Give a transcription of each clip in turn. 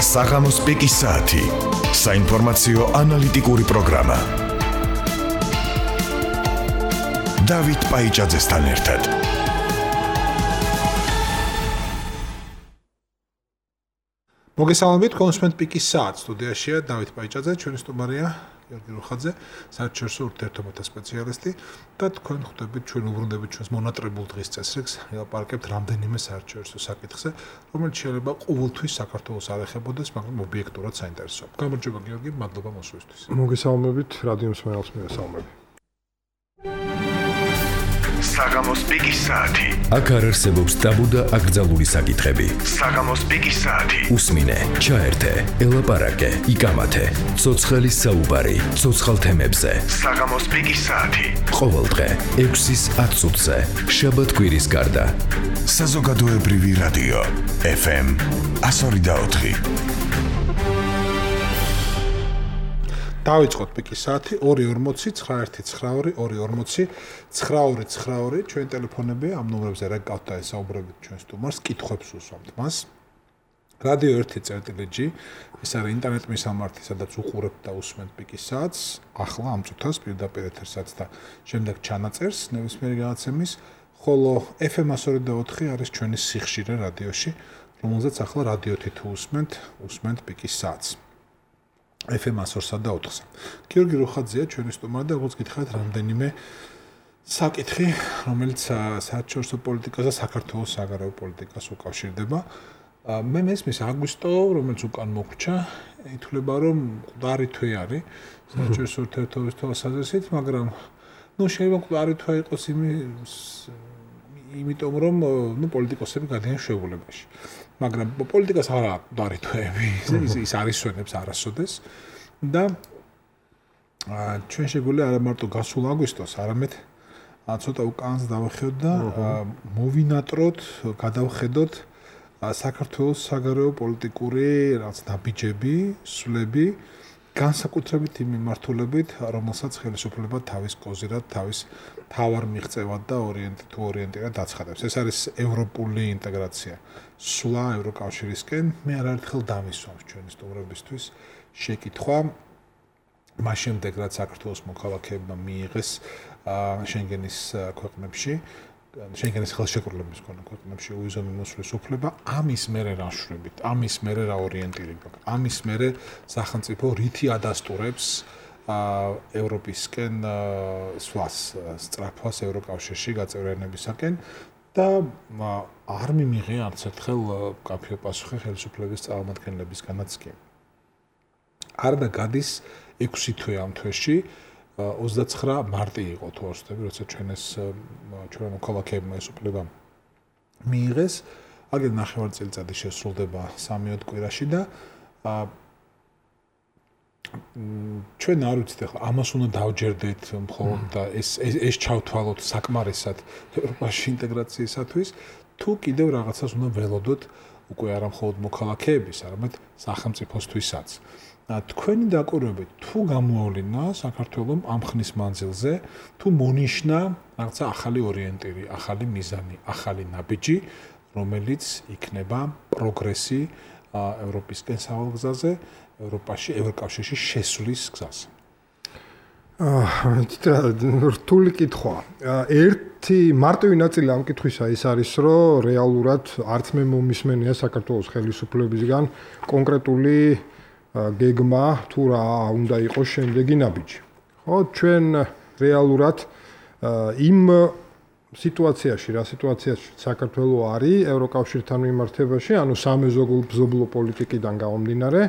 საღამოს პიკის საათი. საინფორმაციო ანალიტიკური პროგრამა. დავით პაიჭაძესთან ერთად. მოგესალმებით, კონსუმენტ პიკის საათს სტუდიაშია დავით პაიჭაძე, ჩვენი სტუმარია გიორგი რუხაძე, საერთაშორისო ურთიერთობათა სპეციალისტი და თქვენ ხვდებით ჩვენ უბრუნდებით ჩვენს მონატრებულ დღის წესრიგს, ელაპარაკებთ რამდენიმე საერთაშორისო საკითხზე, რომელიც შეიძლება ყოველთვის საქართველოს არ ეხებოდეს, მაგრამ ობიექტურად საინტერესოა. გამარჯობა გიორგი, მადლობა მოსვლისთვის. მოგესალმებით, რადიო მსმენელს მოგესალმები. საღამოს პიკის საათი. აქ არ არსებობს ტაბუ და აკრძალული საკითხები. საღამოს პიკის საათი. უსმინე, ჩაერთე, ელაპარაკე, იკამათე. ცოცხალი საუბარი, ცოცხალ თემებზე. საღამოს პიკის საათი. ყოველდღე 6-ის 10 წუთზე. შაბათ-კვირის გარდა. საზოგადოებრივი რადიო FM 102.4. დავიწყოთ პიკის საათი 2:40 919 2:40 922 ჩვენ ტელეფონები ამ ნომრებზე რა გყავთ და ესაუბრებით ჩვენ სტუმარს, კითხვებს უსვამთ მას. რადიო 1.G ეს არის ინტერნეტ მისამართი, სადაც უყურებთ და უსმენთ პიკის საათს, ახლა ამ წუთას პირდაპირ ეთერსაც და შემდეგ ჩანაწერს ნებისმიერი განაცემის, ხოლო FM 102.4 არის ჩვენი სიხშირე რადიოში, რომელზეც ახლა რადიოთი თუ უსმენთ პიკის საათს. FM 102.4-ზე. გიორგი რუხაძეა ჩვენი სტუმარი და როგორც გითხარით რამდენიმე საკითხი, რომელიც საერთაშორისო პოლიტიკას და საქართველოს საგარეო პოლიტიკას უკავშირდება. მე მესმის აგვისტო, რომელიც უკან მოგვჭა, ითვლება რომ მკვდარი თვე არის საერთაშორისო ურთიერთობათა საზრისით, მაგრამ შეიძლება მკვდარი თვე იყოს იმიტომ რომ პოლიტიკოსები გადიან შეულებაში. მაგრამ პოლიტიკას არ აქვს მკვდარი თვეები, ის არისვენებს არასოდეს და ჩვენ შეგვიძლია არა მარტო გასულ აგვისტოს, არამედ ცოტა უკანს დავხედოთ და მოვინატროთ, გადავხედოთ საქართველოს საგარეო პოლიტიკური რაღაც ნაბიჯები, სვლები, განსაკუთრებით იმ მიმართულებით, რომელსაც ხელისუფლება თავის კოზირად, თავის თავარ მიღწევად და ორიენტირად აცხადებს. ეს არის ევროპული ინტეგრაცია. სვლა ევროკავშირისკენ. მე არაერთხელ დამისვამს ჩვენი სტუმრებისთვის შეკითხვა მას შემდეგ, რაც საქართველოს მოქალაქეებმა მიიღეს შენგენის ქვეყნებში, შენგენის ხელშეკრულების ქვეყნებში უვიზო მიმოსვლის უფლება, ამის მერე რა შვრებით, ამის მერე რა ორიენტირი გვაქვს, ამის მერე სახელმწიფო რითი ადასტურებს ევროპისკენ სვლას, სწრაფვას ევროკავშირში გაწევრიანებისაკენ და არ მიმიღე არც ერთხელ კაფეო პასუხი ხელისუფლების წარმომადგენლებისგანაც კი. არდა გადის 6 თვე ამ თვეში 29 მარტი იყო თუ არ ვცდები, როცა ჩვენ მოქალაქეებმა ეს უფლება მიიღეს. აგერ 9 წელიწადი შესრულდება 3 კვირაში და ჩვენ არ ვიცით ახლა ამას უნდა დავჯერდეთ მხოლოდ და ეს ჩავთვალოთ საკმარისად ევროპაში ინტეგრაციისათვის, თუ კიდევ რაღაცას უნდა ველოდოთ უკვე არა მხოლოდ მოქალაქეების, არამედ სახელმწიფოსთვისაც. თქვენი დაკვირვებით თუ გამოავლინა საქართველოს ამ ხნის მანძილზე, თუ მონიშნა რაღაცა ახალი ორიენტირი, ახალი მიზანი, ახალი ნაბიჯი, რომელიც იქნება პროგრესი ევროპისკენ სავალ გზაზე, ევროპაში, ევროკავშირში შესვლის გზაზე. რთული კითხვა. ერთი მარტივი ნაწილი ამ კითხვისა ის არის, რომ რეალურად არც მე მომისმენია საქართველოს ხელისუფლებისგან კონკრეტული გეგმა თუ რა უნდა იყოს შემდეგი ნაბიჯი. ხო, ჩვენ რეალურად იმ სიტუაციაში, რა სიტუაციაში საქართველოს არის ევროკავშირთან მიმართებაში, ანუ სამეზობლო პოლიტიკიდან გამომდინარე,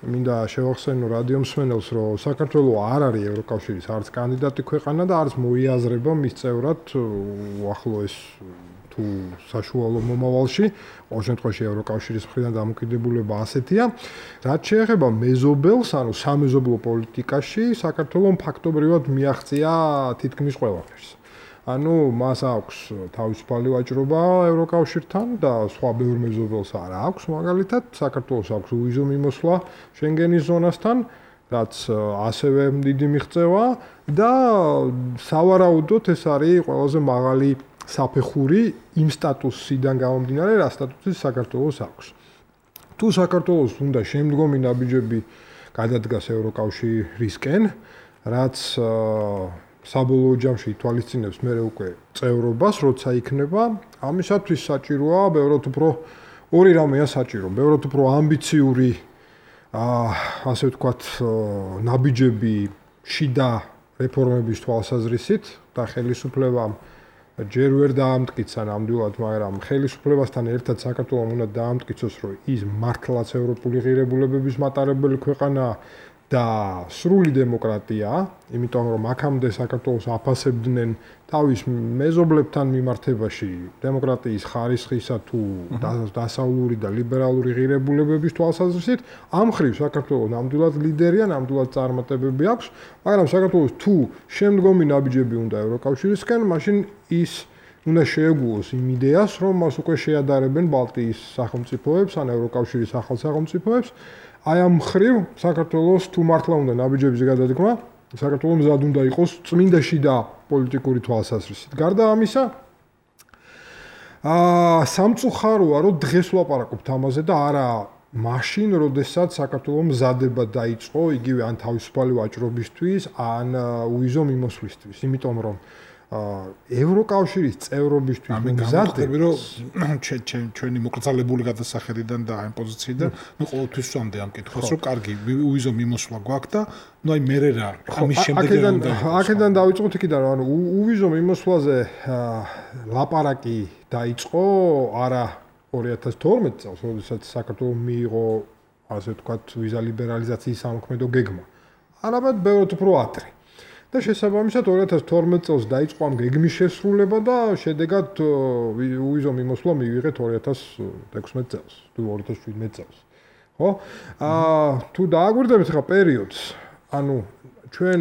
მინდა შევახსენო რადიო მსმენელს, რომ საქართველოს არ არის ევროკავშირის არც კანდიდატი ქვეყანა და არც მოიაზრება მის წევრად უახლოეს თუ საშუალო მომავალში, ყოველ შემთხვევაში ევროკავშირის მხრიდან დამოკიდებულება ასეთია. რაც შეეხება მეზობელს, ანუ სამეზობლო პოლიტიკაში, საქართველოს ფაქტობრივად მიაღწია თითქმის ყველაფერს. ანუ მას აქვს თავისუფალი ვაჭრობა ევროკავშირთან და სხვა ბევრ მეზობელს არ აქვს, მაგალითად, საქართველოს აქვს უვიზო მიმოსვლა შენგენის ზონასთან, რაც ასევე დიდი მიღწევა და სავარაუდოდ ეს არის ყველაზე მაღალი საფეხური იმ სტატუსიდან გამომდინარე, რა სტატუსი საქართველოს აქვს. თუ საქართველოს უნდა შემდგომი ნაბიჯები გადადგას ევროკავშირისკენ, რაც საბოლოო ჯამში ითვალისწინებს მე უკვე წევრობას, როცა იქნება, ამისათვის საჭიროა ბევრად უფრო ორი რამეა საჭირო, ბევრად უფრო ამბიციური ასე ვთქვათ, ნაბიჯები შიდა რეფორმების თვალსაზრისით და ხელისუფლებამ ჯერ ვერ დაამტკიცა ნამდვილად, მაგრამ ხელისუფლებასთან ერთად საქართველოს უნდა დაამტკიცოს, რომ ის მართლაც ევროპული ღირებულებების მატარებელი ქვეყანაა და სრული დემოკრატია, იმიტომ რომ აქამდე საქართველოს აფასებდნენ თავის მეზობლებთან მიმართებაში დემოკრატიის ხარისხისა თუ დასავლური და ლიბერალური ღირებულებების თვალსაზრისით, ამ მხრივ საქართველოს ნამდვილად ლიდერია, ნამდვილად წარმატებები აქვს, მაგრამ საქართველოს თუ შემდგომი ნაბიჯები უნდა ევროკავშირისკენ, მაშინ ის უნდა შეეგუოს იმ იდეას, რომ მას უკვე შეადარებენ ბალტიის სახელმწიფოებს ან ევროკავშირის ახალ სახელმწიფოებს. აი ამ მხრივ საქართველოს თუ მართლა უნდა ნაბიჯების გადადგმა, საქართველოს მზად უნდა იყოს წმინდა შიდა პოლიტიკური თვალსაზრისით. გარდა ამისა, სამწუხაროა, რომ დღეს ვლაპარაკობთ ამაზე და არა მაშინ, როდესაც საქართველოს მზადება დაიწყო იგივე ან თავისუფალი ვაჭრობისთვის, ან უიზო მიმოსვლისთვის, იმიტომ რომ ევროკავშირის წევრობისთვის მზადები, რომ ჩვენი მოკრძალებული გადასახედიდან და ამ პოზიციიდან, ყოველთვის ვსვამდე ამ კითხვას, რომ კარგი უიზო მიმოსვლა გვაქვს და აი მერე რა, ამის შემდეგ რა უნდა იყოს. აქედან დავიწყოთ იქიდან, რომ უვიზო მიმოსვლაზე ლაპარაკი დაიწყო არა 2012 წელს, როდესაც საქართველოს მიიღო, ასე ვთქვათ, ვიზა ლიბერალიზაციის სამოქმედო გეგმა. არამედ ბევრად უფრო ადრე. და შესაბამისად 2012 წელს დაიწყო ამ გეგმის შესრულება და შედეგად უვიზო მიმოსვლა მივიღეთ 2016 წელს, თუ 2017 წელს. ხო? თუ დააგვირდებით ხა პერიოდს, ანუ ჩვენ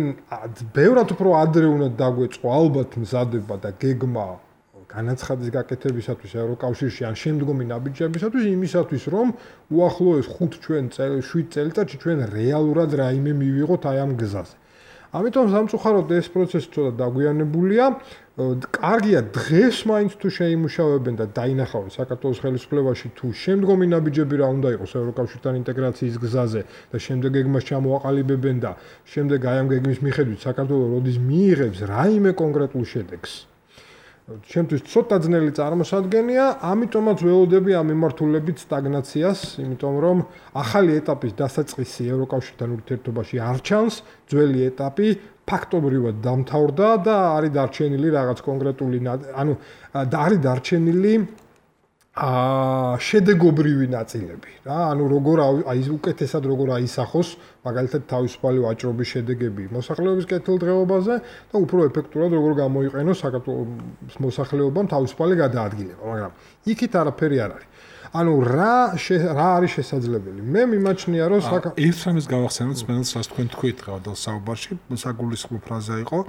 ბევრად უფრო ადრე უნდა დაგვეწყო ალბათ მზადება და გეგმა განაცხადის გაკეთებისათვის ევროკავშირში ან შემდგომი ნაბიჯებისათვის იმისათვის, რომ უახლოეს 7 წელიწადში ჩვენ რეალურად რაიმე მივიღოთ აი ამ გზაზე. ამიტომ სამწუხაროდ ეს პროცესი ცოტა დაგვიანებულია. კარგია დღეს მაინც თუ შეიმუშავებენ და დაინახავენ საქართველოს ხელისუფლებაში თუ შემდგომი ნაბიჯები რა უნდა იყოს ევროკავშირთან ინტეგრაციის გზაზე და შემდეგ გეგმას ჩამოაყალიბებენ და შემდეგ აი ამ გეგმის მიხედვით საქართველოს როდის მიიღებს რაიმე კონკრეტულ შედეგს. ჩემთვის ცოტა ძნელი წარმოსადგენია, ამიტომაც ველოდები ამ მიმართულებით სტაგნაციას, იმიტომ რომ ახალი ეტაპის დასაწყისი ევროკავშირთან ურთიერთობაში არ ჩანს, ძველი ეტაპი ფაქტობრივად დამთავრდა და არის დარჩენილი რაღაც კონკრეტული, ანუ არის დარჩენილი შედეგობრივი ნაწილები, რა, ანუ როგორ აი უკეთესად როგორ აისახოს მაგალითად თავისუფალი ვაჭრობის შედეგები მოსახლეობის კეთილდღეობაზე და უფრო ეფექტურად როგორ გამოიყენოს საქართველოს მოსახლეობამ თავისუფალი გადაადგილება, მაგრამ იქით არაფერი არ არის. ანუ რა არის შესაძლებელი? მე მიმაჩნია რომ ერთ რამეს გავახსენოთ სპეციალს, რაც თქვენ თქვით დღევანდელ საუბარში, საგულისხმო ფრაზა იყო,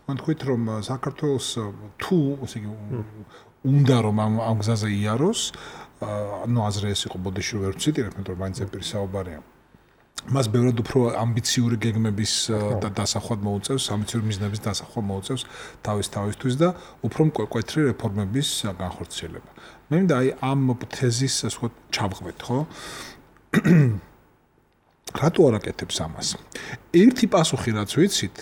თქვენ თქვით რომ საქართველოს თუ ესე იგი უნდა რომ ამ გზაზე იაროს, ну აზრი ეს იყო ბოდიში ვერ ვციტირებ, იმიტომ რომ მაინც ეპირი საუბარია. მას ბევრად უფრო ამბიციური გეგმების დასახვად მოუწევს, ამბიციური მიზნების დასახვად მოუწევს თავისთვის და უფრო მკვეთრი რეფორმების განხორციელება. მე მინდა აი ამ თეზის ასე ვთქვათ ჩავღვეთ, ხო? რატო არ აკეთებს ამას? ერთი პასუხი რაც ვიცით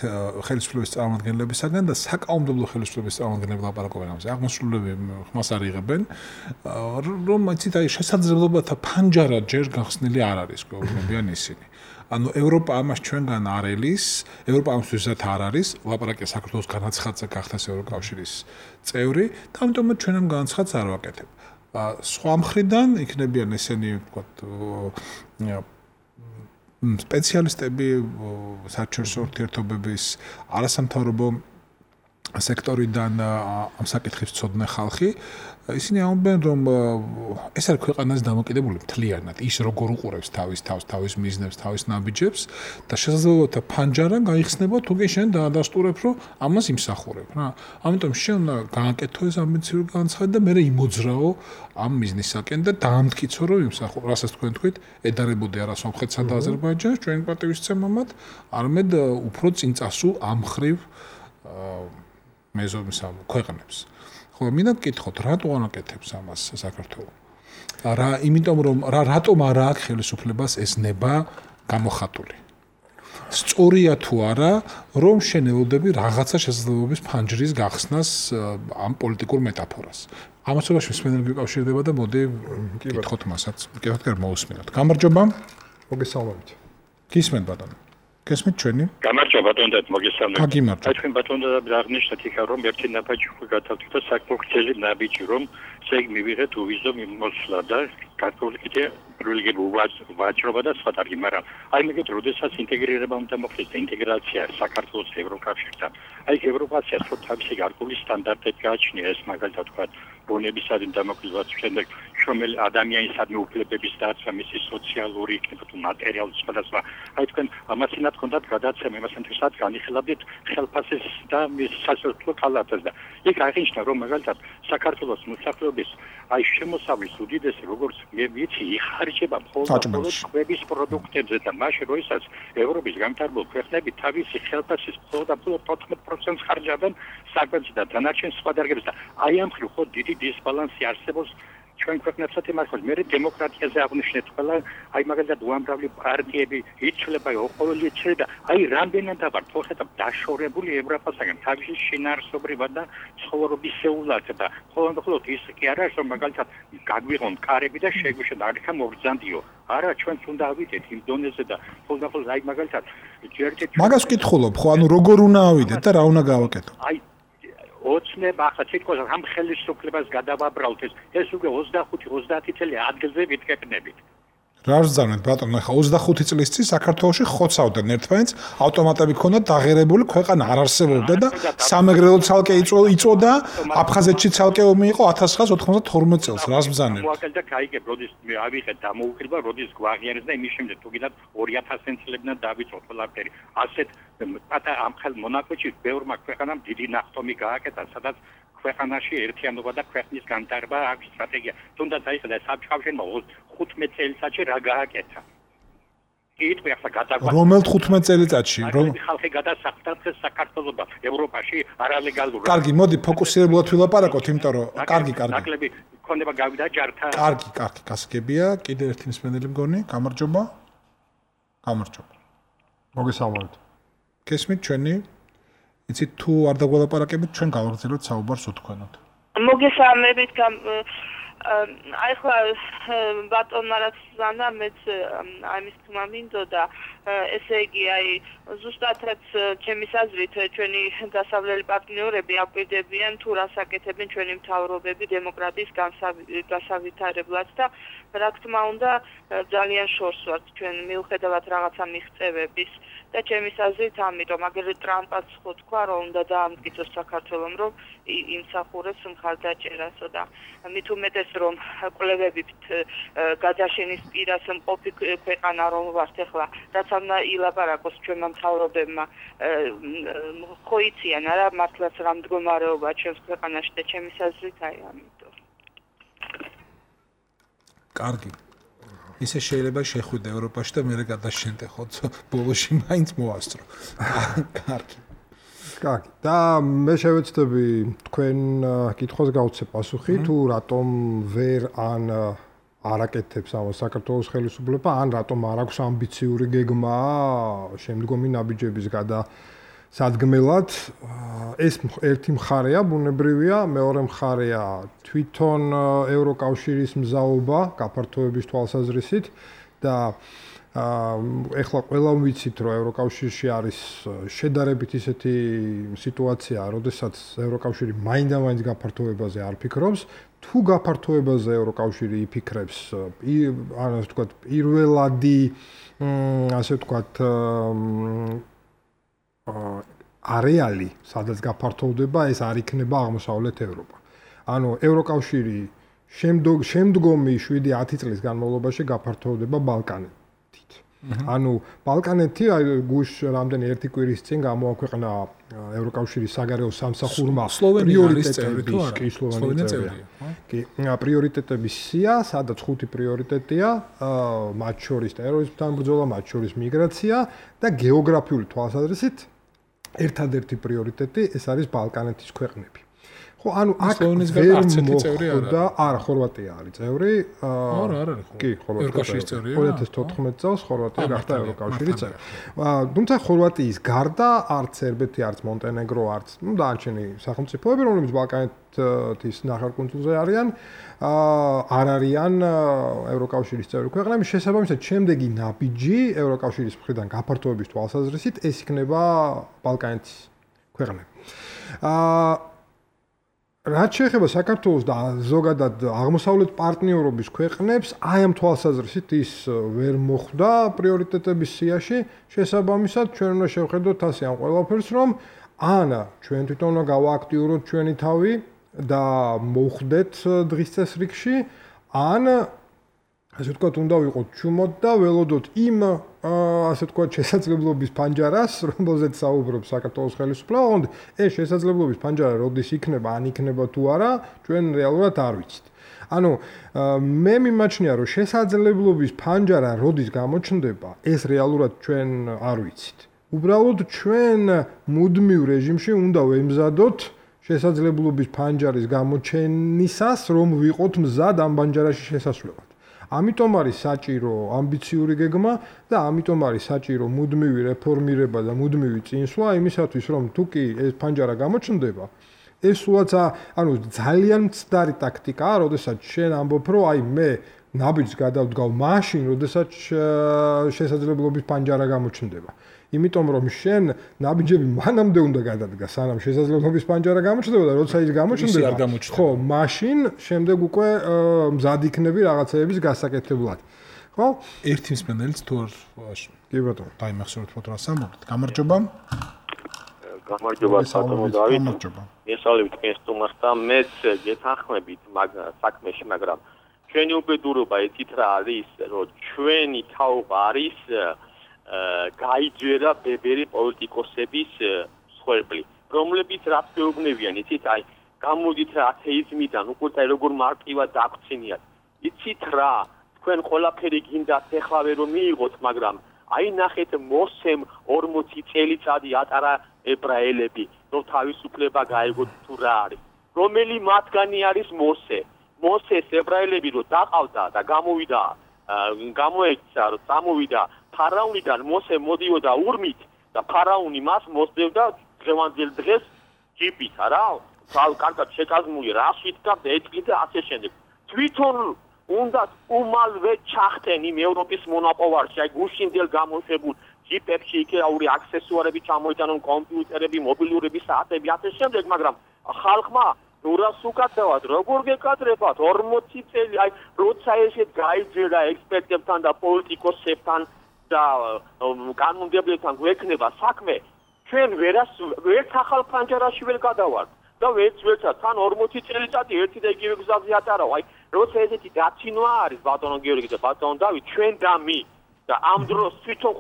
ხელისუფლების წარმომადგენლებისაგან და საკანონმდებლო ხელისუფლების წარმომადგენლები ლაპარაკობენ ამაზე. აღმასრულებელი ხმას არ იღებენ, რომ იცით აი შესაძლებლობათა ფანჯარა ჯერ გახსნილი არ არის, გვეუბნებიან ისინი. ანუ ევროპა ამას ჩვენგან არ ელის, ევროპა ამისთვისაც არ არის, ლაპარაკია საქართველოს განაცხადზე გახდეს ევროკავშირის წევრი, და ამიტომაც ჩვენ ამ განაცხადს არ ვაკეთებ. სხვა მხრიდან იქნებიან ესენი ვთქვათ სპეციალისტები საერთაშორისო ურთიერთობების არასამთავრობო სექტორიდან ამ საკითხებს ცოდნე ხალხი, ისინი ამბობენ, რომ ეს არის ქვეყანას დამოკიდებული მთლიანად, ის როგორ უყურებს თავის თავს, თავის მიზნებს, თავის ნაბიჯებს და შესაძლებლობათა ფანჯარა გაიხსნება თუგე შენ დაადასტურებ, რომ ამას იმსახურებ, რა. ამიტომ შენ უნდა გააკეთო ეს ამბიციური განცხადი და მე იმოძრაო ამ მიზნისაკენ და დაამტკიცო, რომ იმსახურებ. რასაც თქვენ თქვით, ედარებოდი არა სომხეთსა და აზერბაიჯანს ჩვენი პატივისცემამად, არამედ უფრო წინ წასულ ამ ხრივ მეზობლის ქვეყნებს. ხო, მინდა გკითხოთ, რატო არ აკეთებს ამას საქართველოს? იმიტომ რომ რატომ არა აქვს ხელისუფლებას ეს ნება გამოხატული. სწორია თუ არა, რომ შენ ელოდები რაღაცა შესაძლებლობის ფანჯრის გახსნას ამ პოლიტიკურ მეტაფორას. ამასობაში მსმენელი გიკავშირდება და მოდი კითხოთ მასაც. კითხოთ მოусმინოთ. გამარჯობა. მოგესალმებით. გისმენთ ბატონო. გესმით ჩვენი? გამარჯობა ბატონო, მოგესალმებით. გიმარჯობა. აი ჩვენ ბატონო აღნიშნეთ იქა რომ ერთი ნაბიჯი გავთავთ და საკმაოდ ნაბიჯი რომ ზეგ მივიღეთ უვიზო მიმოსვლა და კათოლიკე რელიგიურ ვაჭრობა და სხვა დარგი, მაგრამ აი მეგეთ როდესაც ინტეგრირება უნდა მოხდეს ინტეგრაცია საქართველოს ევროკავშირთან. აი ევროპასია ხო თავისი გარკვეული სტანდარტები გააჩნია ეს მაგალითად თქვა ბუნებისადმი დამოკიდებულებაც შემდეგ შრომელი ადამიანისადმი უფლებების დაცვა, მისი სოციალური იქნება თუ მატერიალური სხვადასხვა. აი თქვენ ამასინად ხონდათ გადაცემა იმასთვისაც განიხილავდით ხელფასის და მის სასოფლო კალათას და იქ აღინიშნა რომ მაგალითად საქართველოს მოსახლეობის აი შემოსავლის უდიდესი როგორც ვიცი იხარჯება მხოლოდ კვების პროდუქტებზე და მაშინ როდესაც ევროპის განვითარებულ ქვეყნები თავისი ხელფასის მხოლოდ 14% ხარჯავენ საკვებზე და დანარჩენ სხვა დარგებზე და აი ამ ხრივ ხო დიდი დისბალანსი არსებობს ჩვენ ქვეყნებსაც იმართოს მე დემოკრატიაზე აღნიშნეთ ყველა აი მაგალითად უამრავი პარტიები იცვლება ოყოლი იცვლება აი რამდენად ვარ თორსა დაშორებული ევროპასაგან თავისი შინაარსობრივად და ცხოვრობისეულად და ხოლმე ის კი არა რომ მაგალითად გაგვიღონ კარები და შეგვიშენ არიქა მოგზანდიო არა ჩვენც უნდა ავიდეთ იმ დონეზე და ხოლმე აი მაგალითად მაგას ვკითხულობ ხო ანუ როგორ უნდა ავიდეთ და რა უნდა გავაკეთო აი ოცნება ახლა თითქოს ამ ხელისუფლებას გადავაბრალთ ეს უკვე 25-30 წელი ადგილზე ვიტკეპნებით. რა ვზარნეთ ბატონო, ახლა 25 წლის წინ საქართველოში ხოცავდნენ ერთმანეთს, ავტომატები ქონდა დაღერებული, ქვეყანა არ არსებობდა და სამეგრელო ცალკე იწოდა, აფხაზეთში ცალკე ომი იყო 1992 წელს. რას ვზარნეთ? მოაკელდა кайგებ, როდის მე ავიღეთ დამოუკიდებლობა, როდის გვაღიარეს და იმის შემდეგ თუ გინდათ 2000 წლებიდან დავიწყოთ ყველაფერი. ასეთ პატარა ამ ხელ მონაკვეთში ბევრმა ქვეყანამ დიდი ნახტომი გააკეთა, სადაც ქვეყანაში ერთიანობა და ქვეყნის განვითარება აქვს სტრატეგია. თუნდაც აი ხა საბჭოშენმა 15 წელიწადში რა გააკეთა. კითხვი ახლა გადაგვაქვს. რომელ 15 წელიწადში? რომ ხალხი გადასახლდა საქართველოსა ევროპაში არალეგალურად. კარგი, მოდი ფოკუსირებულად ვილაპარაკოთ, იმიტომ რომ კარგი. ნაკლები ქონება გავიდა ჯართა. კარგი, გასაგებია. კიდე ერთი მსმენელი მგონი, გამარჯობა. მოგესალმებით. გესმით ჩვენი? იცით თუ არ დაგვალაპარაკებით, ჩვენ გავაგრძელოთ საუბარს უთქვენოთ. მოგესალმებით აი ხლა ბატონმა რაც ზანა მეც აი მის თქმა მინდოდა ესე იგი აი ზუსტადაც ჩემი აზრით ჩვენი დასავლელი პარტნიორები აპირდებიან თუ რას აკეთებენ ჩვენი მთავრობები დემოკრატიის გასავითარებლად და რა თქმა უნდა ძალიან შორს ვართ ჩვენ მიუხედავად რაღაცა მიღწევების და ჩემი აზრით ამიტომ აგერ ტრამპაც ხო თქვა რომ უნდა დაამტკიცოს საქართველოს რომ იმსახურებს მხარდაჭერასო და მით უმეტეს რომ კვლევებით გადაშენის პირას მყოფი ქვეყანა რომ ვართ ახლა რაც უნდა ილაპარაკოს ჩვენმა მთავრობებმა ხო იციან არა მართლაც რა მდგომარეობა ჩვენს ქვეყანაში და ჩემი აზრით აი ამიტომ კარგი ისე შეიძლება შეხვიდე ევროპაში და მე გადაშენდე ხო ბოლოში მაინც მოასწრო კარგი და მე შევეცდები თქვენ კითხვას გავცე პასუხი თუ რატომ ვერ არაკეთებს ამას საქართველოს ხელისუფლება ან რატომ არ აქვს ამბიციური გეგმა შემდგომი ნაბიჯების გადასადგმელად ეს ერთი მხარეა ბუნებრივია მეორე მხარეა თვითონ ევროკავშირის მზაობა გაფართოების თვალსაზრისით და ეხლა ყველამ ვიცით რომ ევროკავშირში არის შედარებით ისეთი სიტუაცია, როდესაც ევროკავშირი მაინდა-მაინც გაფართოებაზე არ ფიქრობს, თუ გაფართოებაზე ევროკავშირი იფიქრებს, ასე ვთქვათ, პირველადი ასე ვთქვათ არეალი, სადაც გაფართოვდება, ეს არ იქნება აღმოსავლეთ ევროპა. ანუ ევროკავშირი შემდგომი 7-10 წლის განმავლობაში გაფართოვდება ბალკანეთით. ანუ ბალკანეთი გუშ რამდენი ერთი კვირის წინ გამოაქვეყნა ევროკავშირის საგარეო სამსახურმა პრიორიტეტების სია, სადაც 5 პრიორიტეტია, მათ შორის ტერორიზმთან ბრძოლა, მათ შორის მიგრაცია და გეოგრაფიული თვალსაზრისით ერთადერთი პრიორიტეტი ეს არის ბალკანეთის ქვეყნები. ხო, ანუ აქ სლოვენეთისგან არც ერთი წევრი არ და არა, ხორვატია არის წევრი. არა, არ არის ხო. კი, ხორვატია. ევროკავშირის წევრია. 2014 წელს ხორვატია გახდა ევროკავშირის წევრი. თუმცა ხორვატიის გარდა არც სერბეთი, არც მონტენეგრო, არც დანარჩენი სახელმწიფოები, რომლებიც ბალკანეთის ნახევარკუნძულზე არიან, არ არიან ევროკავშირის წევრი ქვეყნები. შესაბამისად, შემდეგი ნაბიჯი ევროკავშირის მხრიდან გაფართოების თვალსაზრისით ეს იქნება ბალკანეთის ქვეყნები. რაც შეეხება საქართველოს და ზოგადად აღმოსავლეთ პარტნიორობის ქვეყნებს, აი ამ თვალსაზრისით ის ვერ მოხვდა პრიორიტეტების სიაში. შესაბამისად, ჩვენ უნდა შევხედოთ ასე ამ ყველაფერს, რომ ან ჩვენ თვითონ უნდა გავააქტიუროთ ჩვენი თავი და მოვხვდეთ დღის წესრიგში, ან ასე ვთქვათ, უნდა ვიყოთ ჩუმოთ და ველოდოთ იმ ასე ვთქვათ შესაძლებლობის ფანჯარას, რომელზეც საუბრობს საქართველოს ხელისუფლება, ond ეს შესაძლებლობის ფანჯარა როდის იქნება, ან იქნება თუ არა, ჩვენ რეალურად არ ვიცით. ანუ მე მიმაჩნია, რომ შესაძლებლობის ფანჯარა როდის გამოჩნდება, ეს რეალურად ჩვენ არ ვიცით. უბრალოდ ჩვენ მუდმივ რეჟიმში უნდა ვემზადოთ შესაძლებლობის ფანჯარის გამოჩენისას, რომ ვიყოთ მზად ამ ფანჯარაში შესასვლელად. ამიტომ არის საჭირო ამბიციური გეგმა და ამიტომ არის საჭირო მუდმივი რეფორმირება და მუდმივი წინსვლა იმისათვის, რომ თუ კი ეს ფანჯარა გამოჩნდება, ეს სულაც ანუ ძალიან მცდარი ტაქტიკაა, როდესაც შენ ამბობ, რომ აი მე ნაბიჯს გადავდგავ მაშინ, როდესაც შესაძლებლობის ფანჯარა გამოჩნდება. იმიტომ რომ შენ ნაბიჯები მანამდე უნდა გადადგა, სანამ შესაძლებლობის ფანჯარა გამოჩნდება და როცა ის გამოჩნდება, ხო, მაშინ შემდეგ უკვე მზად იქნები რაღაცეების გასაკეთებლად. ხო? ერთი მსმენელიც თუ არ კი ბატონო, დაიმახსოვრეთ ფოტო ასამბლით. გამარჯობა. გამარჯობა ბატონო დავით. გამარჯობა. მესალმებით კენსტუმარს და მეც გეთანხმებით საქმეში, მაგრამ ჩვენი უბედურობა ეთით რა არის, რომ ჩვენი თაობა არის გაიძვერა ბებერი პოლიტიკოსების მსხვერპლი, რომლებიც რაც მეუბნებიან, იცით, აი, გამოდით რა ათეიზმიდან, უკვე როგორ მარტივად დაგვცინიათ. იცით რა, თქვენ ყველაფერი გინდათ ეხლავე რომ მიიღოთ, მაგრამ აი ნახეთ მოსემ 40 წელიწადი ატარა ებრაელები, რომ თავისუფლება გაეგოთ თუ რა არის. რომელი მათგანი არის მოსე? მოსეს ებრაელები რომ დაყავდა და გამოვიდა, გამოექცა, რომ წამოვიდა ფარაონიდან მოსე მოდიოდა ურმით და ფარაონი მას მოსდევდა დღევანდელ დღეს ჯიპით, არა? კარგად შეკაზმული რასვით და ეთქით და ასე შემდეგ. თვითონ უნდა უმალვე ჩახტენ იმ ევროპის მონაპოვარში, აი გუშინდელ გამოშვებულ ჯიპებში იქაური აქსესუარები ჩამოიტანონ, კომპიუტერები, მობილურები, საათები, ასე შემდეგ, მაგრამ ხალხმა რას უკაცრავად, როგორ გეკადრებათ 40 წელი, აი როცა ესეთ გაიძვირა ექსპერტებთან და პოლიტიკოსებთან და კანონმდებლებთან გვექნება საქმე, ჩვენ ვერც ახალ ფანჯარაში ვერ გადავართ და ვერცად თან 40 წელიწადი ერთი და იგივე გზაზე ატარავ. აი როცა ესეთი დაცინვა არის ბატონო გიორგი და ბატონო დავით, ჩვენ და მე და ამ დროს თვითონ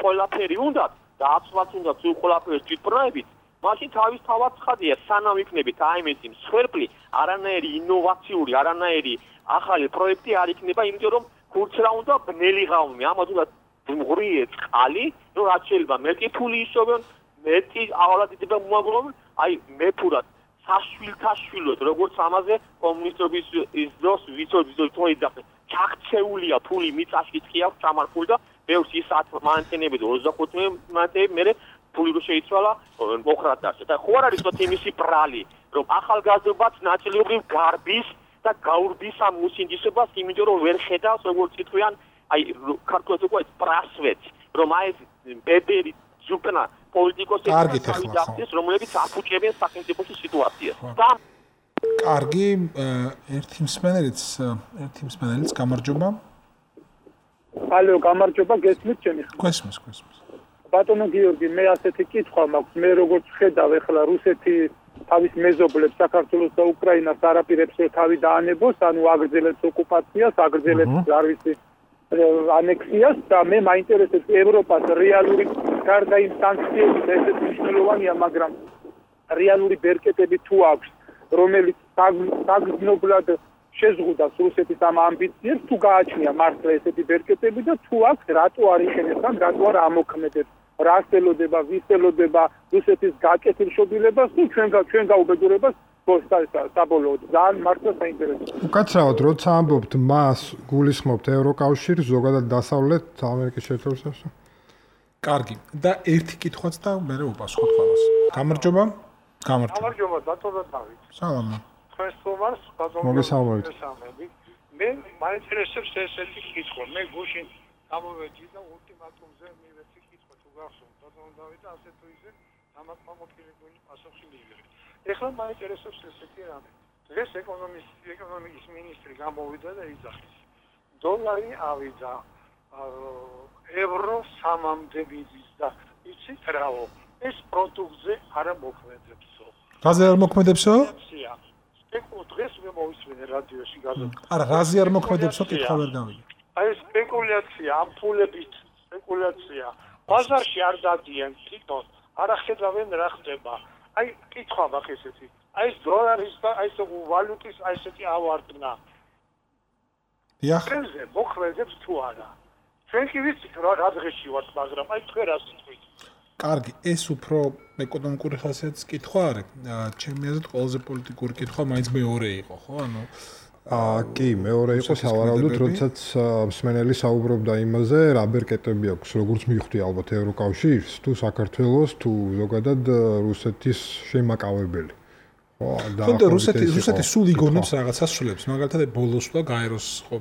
ყველაფერი უნდათ და აცვლაც უნდა თუ ყველაფერს თვითბრუნებით, მაშინ თავისთავად ცხადია, სანამ იქნებით აი ეს მსხვერპლი, არანაირი ინოვაციური, არანაირი ახალი პროექტი არ იქნება, იმიტომ რომ ხურც რა უნდა ბნელი ღამე, ამას უნდა მღრიე წყალი, რომ რაც შეიძლება მეტი ფული ისოვენ, მეტი ავალადდება მოაგროვონ, აი მეფურად საშვილთა შვილოთ, როგორც ამაზე კომუნისტების ის დროს ვიცოდი ჩაქცეულია ფული მიწაში კი აქვს ჩამარხული და ბევრს ის 10 მანტენები და 25 მანტენები მე ფული რო შეიცვალა მოხრად დასწა და ხო არ არის თქო იმისი ბრალი, რომ ახალგაზრდობაც ნაწილობრივ გარბის და გაურბის ამ მუსინდისობას, იმიტომ რომ ვერ ხედავს როგორც ითქვიან, აი ქართულად უკვე პრასვეც, რომ აი ეს ბებერი ზუპნა პოლიტიკოსები დავიძახეს, რომლებიც აფუჭებენ სახელმწიფოში სიტუაციას. კარგი, ერთი მსმენელიც გამარჯობა. ალო, გამარჯობა, გესმით ჩემი ხმა? გესმის. ბატონო გიორგი, მე ასეთი კითხვა მაქვს, მე როგორც ხედავ ეხლა რუსეთი თავის მეზობლებს საქართველოს და უკრაინას არაპირებს რომ თავი დაანებოს, ანუ აგრძელებს ოკუპაციას, აგრძელებს არ ვიცი ანექსიას და მე მაინტერესებს ევროპას რეალური გარდა იმ სანქციების ესეც მნიშვნელოვანია, მაგრამ რეალური ბერკეტები თუ აქვს, რომელიც საგრძნობლად შეზღუდავს რუსეთის ამ ამბიციებს, თუ გააჩნია მართლა ესეთი ბერკეტები და თუ აქვს, რატო არ იხენებს ან რატო არ ამოქმედებს, რას ელოდება, ვის ელოდება რუსეთის გაკეთილ შობილებას თუ ჩვენ გაუბედურებას საბოლოოდ ძალიან მართლა საინტერესოა. უკაცრავად როცა ამბობთ მას გულისხმობთ ევროკავშირს, ზოგადად დასავლეთ ამერიკის შეერთებულ შტატებს. კარგი. და ერთი კითხვაც და მე უპასუხოთ ყველას. გამარჯობა. გამარჯობა, ბატონო დავით. სალამი. თქვენ სტუმარს ბატონო მოგესალმებით. მე მაინტერესებს ესეთი კითხვა. მე გუშინ გამოვედი და ულტიმატუმზე მივეცი კითხვა თუ გახსოვთ ბატონო დავით, ასე თუ ისე დამაკმაყოფილებელი პასუხი მივიღე. ეხლა მაინტერესებს ესეთი რამე. დღეს ეკონომიკის მინისტრი გამოვიდა და იძახის. დოლარი ავიდა ევრო 3-მდე მიდის და იცით რაო? ეს პროდუქტზე არ მოქმედებსო. რაზე არ მოქმედებსო? დღეს მე მოვისმენე რადიოში გადაცემა. არა, რაზე არ მოქმედებსო, კითხვა ვერ გავიგე. აი სპეკულაცია, ამ ფულებით სპეკულაცია. ბაზარში არ დადიან თვითონ, არ ახედავენ რა ხდება. აი კითხვა მაქვს ესეთი. აი ეს დოლარის და აი ეს ვალუტის აი ესეთი ავარდნა. დიახ. ეს მოქმედებს თუ არა? ჩვენ კი ვიცით რა დღეში ვართ, მაგრამ აი თქვენ რა სიტყვით? კარგი, ეს უფრო ეკონომიკური ხასიათის კითხვა არის. ჩემი აზრით ყველაზე პოლიტიკური კითხვა მაინც მეორე იყო, ხო? ანუ კი, მეორე იყო სავარაუდოდ, როდესაც მსმენელი საუბრობდა იმაზე, რა ბერკეტები აქვს, როგორც მივხვდი ალბათ ევროკავშირს, თუ საქართველოს, თუ ზოგადად რუსეთის შემაკავებელი. ხონდა რუსეთი სულ იგონებს რაღაცას სულებს, მაგალითად ბოლოს და გაეროს ხო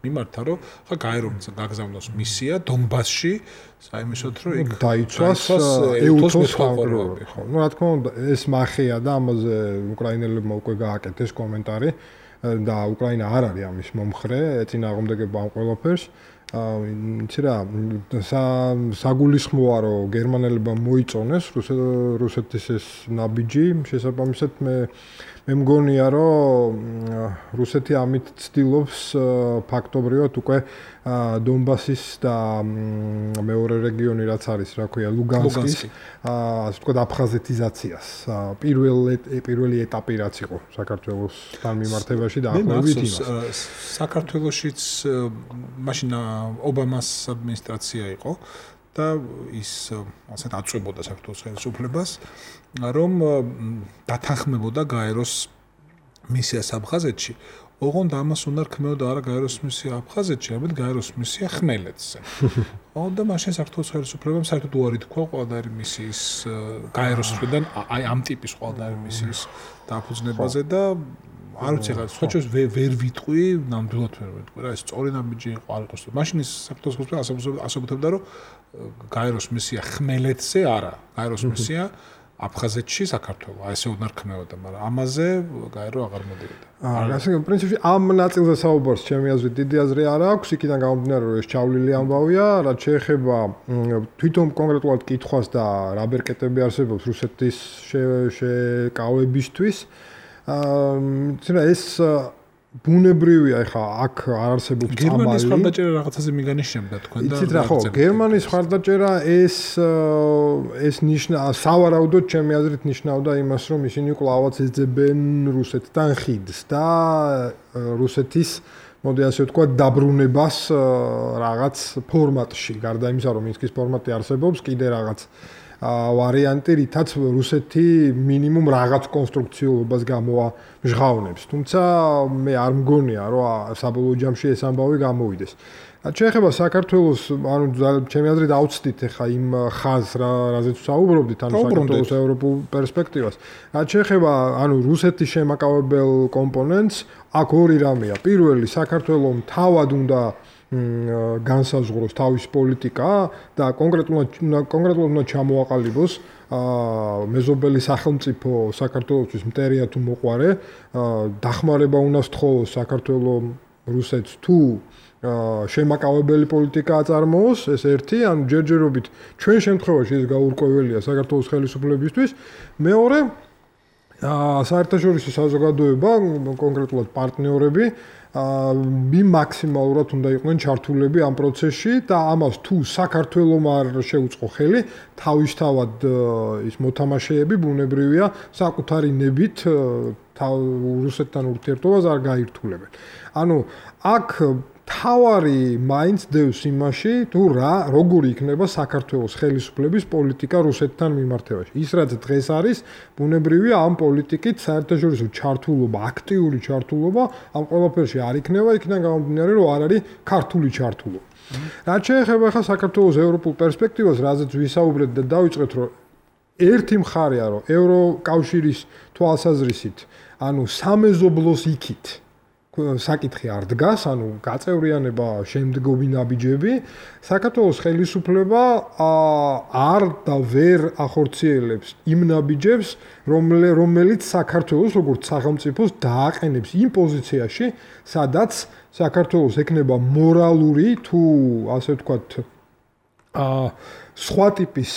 მიმართა, რომ ხა გაერომ გაგზავნოს მისია დონბასში, საიმისოთ რომ იქ დაიცვას ეუთოს ხალხები, ხო. ნუ რა თქმა უნდა, ეს მახეა და ამაზე უკრაინელებმა უკვე გააკეთეს კომენტარი და უკრაინა არ არის ამის მომხრე, ეწინააღმდეგება ამ ყველაფერს. იცი რა, საგულისხმოა რომ გერმანელებმა მოიწონეს რუსეთის ეს ნაბიჯი, შესაბამისად მე მგონია რომ რუსეთი ამით ცდილობს ფაქტობრივად უკვე დონბასის და მეორე რეგიონი რაც არის, რა ქვია, ლუგანსკის, ასე ვთქვათ, აფხაზეთიზაციას. პირველი ეტაპი რაც იყო საქართველოსთან მიმართებაში და ახლობით იმას. საქართველოშიც მაშინ ობამას ადმინისტრაცია იყო და ის ასეთ აწვებოდა საქართველოს ხელისუფლებას, რომ დათანხმებოდა გაეროს მისიას აფხაზეთში. ოღონდ ამას უნდა რქმეოდა არა გაეროს მისია აფხაზეთში, არამედ გაეროს მისია ხმელეთზე. და მაშინ საქართველოს ხელისუფლებამ საერთოდ უარი თქვა ყველდაერი მისიის გაეროს მხრიდან აი ამ ტიპის ყველდაერი მისიის დაფუძნებაზე და არ ვიცი რა, სხვაჩვენს ვერ ვიტყვი, ნამდვილად ვერ ვიტყვი რა, ეს სწორი ნაბიჯი იყო არ იყოს. მაშინ ის საქართველოს ხელისუფლება ასაბუთებდა, რომ გაეროს მისია ხმელეთზე არა, გაეროს მისია აფხაზეთში საქართველოს, აი ესე უნდა რქმეოდა, მაგრამ ამაზე გაერო აღარ მოდიოდა. ასე პრინციპში ამ ნაწილზე საუბარს ჩემი აზრით დიდი აზრი არ აქვს, იქიდან გამომდინარე რომ ეს ჩავლილი ამბავია, რაც შეეხება თვითონ კონკრეტულად კითხვას და რა ბერკეტები არსებობს რუსეთის შეკავებისთვის. ეს ბუნებრივია, ეხა აქ არ არსებობს წამალი. გერმანიის მხარდაჭერა რაღაცაზე მიგანიშნებდა თქვენ და იცით რა ხო, გერმანიის მხარდაჭერა ეს სავარაუდოდ ჩემი აზრით ნიშნავდა იმას, რომ ისინი კვლავაც ეძებენ რუსეთთან ხიდს და რუსეთის მოდი ასე ვთქვა დაბრუნებას რაღაც ფორმატში, გარდა იმისა, რომ მინსკის ფორმატი არსებობს, კიდე რაღაც ვარიანტი, რითაც რუსეთი მინიმუმ რაღაც კონსტრუქციულობას გამოამჟღავნებს. თუმცა მე არ მგონია, რომ საბოლოო ჯამში ეს ამბავი გამოვიდეს. შეეხება საქართველოს, ანუ ჩემი აზრით აუცდით ახლა იმ ხაზს, რაზეც საუბრობდით, ანუ საქართველოს ევროპულ პერსპექტივას. შეეხება, ანუ რუსეთის შემაკავებელ კომპონენტს, აქ ორი რამეა. პირველი, საქართველოს თავად უნდა განსაზღვროს თავის პოლიტიკა და კონკრეტულად უნდა ჩამოაყალიბოს მეზობელი სახელმწიფო საქართველოსთვის მტერია თუ მოყვარე, დახმარება უნდა სთხოვოს საქართველოს რუსეთს თუ შემაკავებელი პოლიტიკა აწარმოოს, ეს ერთი, ანუ ჯერჯერობით ჩვენ შემთხვევაში ეს გაურკვეველია საქართველოს ხელისუფლებისთვის. მეორე, საერთაშორისო საზოგადოება, კონკრეტულად პარტნიორები მაქსიმალურად უნდა იყვნენ ჩართულები ამ პროცესში და ამას თუ საქართველოს არ შეუწყო ხელი, თავისთავად ის მოთამაშეები ბუნებრივია საკუთარი ნებით რუსეთთან ურთიერთობას არ გაირთულებენ. ანუ აქ თავარი მაინც დევს იმაში, თუ როგორი იქნება საქართველოს ხელისუფლების პოლიტიკა რუსეთთან მიმართებაში. ის რაც დღეს არის, ბუნებრივია ამ პოლიტიკით საერთაშორისო ჩართულობა, აქტიური ჩართულობა ამ ყველაფერში არ იქნება, იქიდან გამომდინარე, რომ არ არის ქართული ჩართულობა. რაც შეეხება ახლა საქართველოს ევროპულ პერსპექტივას, რაზეც ვისაუბრეთ და დავიწყეთ, რომ ერთი მხარეა, რომ ევროკავშირის თვალსაზრისით, ანუ სამეზობლოს იქით საკითხი არ დგას, ანუ გაწევრიანება შემდგომი ნაბიჯები, საქართველოს ხელისუფლება არ და ვერ ახორციელებს იმ ნაბიჯებს, რომელიც საქართველოს როგორც სახელმწიფოს დააყენებს იმ პოზიციაში, სადაც საქართველოს ექნება მორალური თუ ასე ვთქვათ სხვა ტიპის